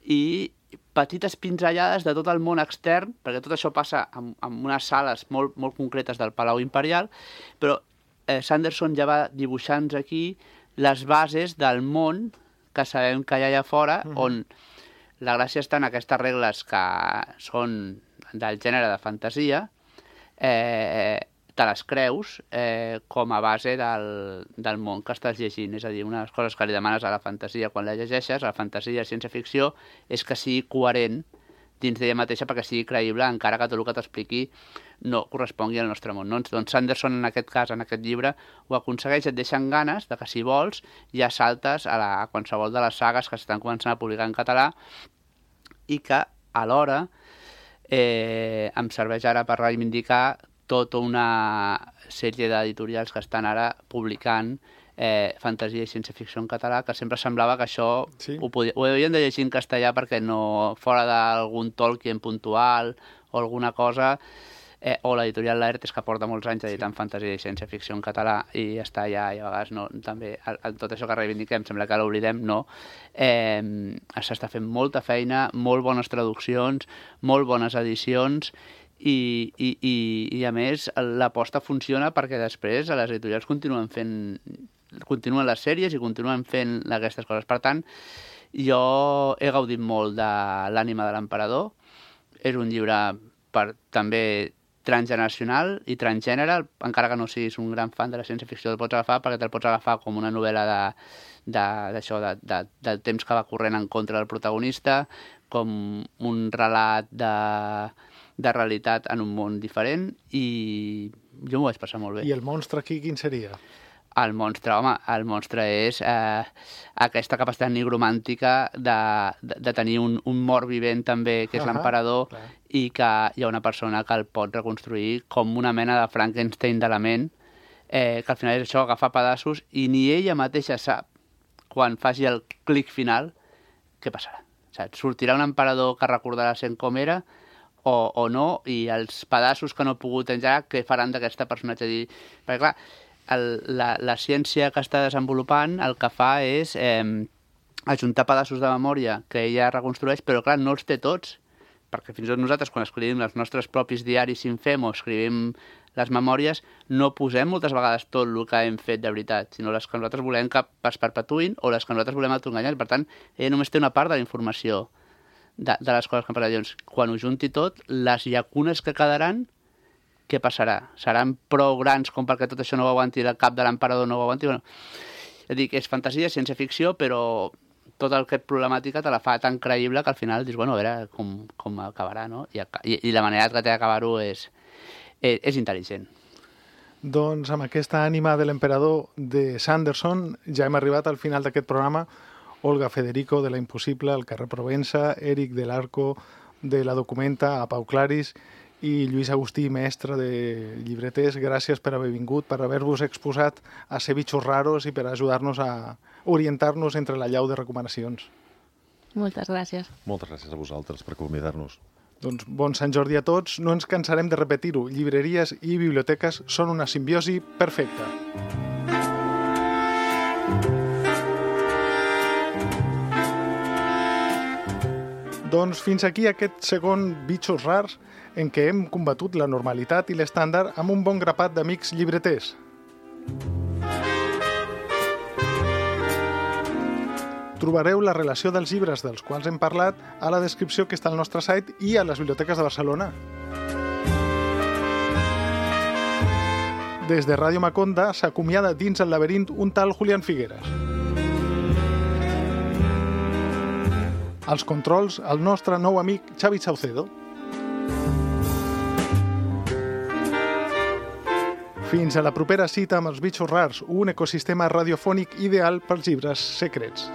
i petites pinzellades de tot el món extern, perquè tot això passa en, en unes sales molt, molt concretes del Palau Imperial, però eh, Sanderson ja va dibuixant aquí les bases del món que sabem que hi ha allà fora, uh-huh. on la gràcia està en aquestes regles que són del gènere de fantasia, eh, te les creus eh, com a base del, del món que estàs llegint. És a dir, una de les coses que li demanes a la fantasia quan la llegeixes, a la fantasia i ciència-ficció, és que sigui coherent dins d'ella mateixa perquè sigui creïble, encara que tot el que t'expliqui no correspongui al nostre món. No? Doncs Sanderson, en aquest cas, en aquest llibre, ho aconsegueix, et deixen ganes de que, si vols, ja saltes a, la, a qualsevol de les sagues que s'estan començant a publicar en català i que, alhora, eh, em serveix ara per reivindicar tota una sèrie d'editorials que estan ara publicant eh, fantasia i ciència-ficció en català, que sempre semblava que això sí. ho, podia, ho havien de llegir en castellà perquè no, fora d'algun Tolkien puntual o alguna cosa, eh, o l'editorial Laertes, que porta molts anys editant sí. fantasia i ciència-ficció en català i està allà, i a vegades no, també, el, tot això que reivindiquem, sembla que l'oblidem, no. Eh, s'està fent molta feina, molt bones traduccions, molt bones edicions, I, i, i, i a més l'aposta funciona perquè després les editorials continuen fent continuen les sèries i continuen fent aquestes coses. Per tant, jo he gaudit molt de l'ànima de l'emperador. És un llibre per, també transgeneracional i transgènere, encara que no siguis un gran fan de la ciència-ficció, el pots agafar perquè te'l pots agafar com una novel·la de, de, d'això, de, de, del temps que va corrent en contra del protagonista, com un relat de de realitat en un món diferent, i jo m'ho vaig passar molt bé. I el monstre aquí quin seria? El monstre, home, el monstre és eh, aquesta capacitat nigromàntica de, de, de tenir un, un mort vivent també, que és uh-huh, l'emperador, clar. I que hi ha una persona que el pot reconstruir com una mena de Frankenstein de la ment, eh, que al final és això, agafar pedaços, i ni ella mateixa sap, quan faci el clic final, què passarà. Saps? Sortirà un emperador que recordarà sent com era, O, o no, i els pedaços que no ha pogut engegar, què faran d'aquesta personatge? Dir, perquè clar, el, la, la ciència que està desenvolupant el que fa és eh, ajuntar pedaços de memòria que ella reconstrueix, però clar, no els té tots, perquè fins i tot nosaltres, quan escrivim els nostres propis diaris si en fem o escrivim les memòries, no posem moltes vegades tot el que hem fet de veritat, sinó les que nosaltres volem que es perpetuïn o les que nosaltres volem autoenganyar. Per tant, ella només té una part de la informació De, de les coses que han passat. Llavors, quan ho junti tot, les llacunes que quedaran, què passarà? Seran prou grans com perquè tot això no ho aguanti, el cap de l'emperador no ho aguanti? Bueno, és a dir, que és fantasia, ciència-ficció, però tota aquesta problemàtica te la fa tan creïble que al final dius, bueno, a veure com, com acabarà, no? I, i, i la manera que té d'acabar-ho és, és, és intel·ligent. Doncs amb aquesta ànima de l'emperador de Sanderson ja hem arribat al final d'aquest programa. Olga Federico, de La Impossible, el carrer Provença, Eric del Arco, de La Documenta, a Pau Claris, i Lluís Agustí, mestre de llibreters. Gràcies per haver vingut, per haver-vos exposat a ser bitxos raros i per ajudar-nos a orientar-nos entre la llau de recomanacions. Moltes gràcies. Moltes gràcies a vosaltres per convidar-nos. Doncs bon Sant Jordi a tots. No ens cansarem de repetir-ho. Llibreries i biblioteques són una simbiosi perfecta. Doncs fins aquí aquest segon Bitxos Rars en què hem combatut la normalitat i l'estàndard amb un bon grapat d'amics llibreters. Trobareu la relació dels llibres dels quals hem parlat a la descripció que està al nostre site i a les biblioteques de Barcelona. Des de Ràdio Maconda s'acomiada dins el laberint un tal Julián Figueras. Als controls, el nostre nou amic Xavi Saucedo. Fins a la propera cita amb els Bitxos Rars, un ecosistema radiofònic ideal pels llibres secrets.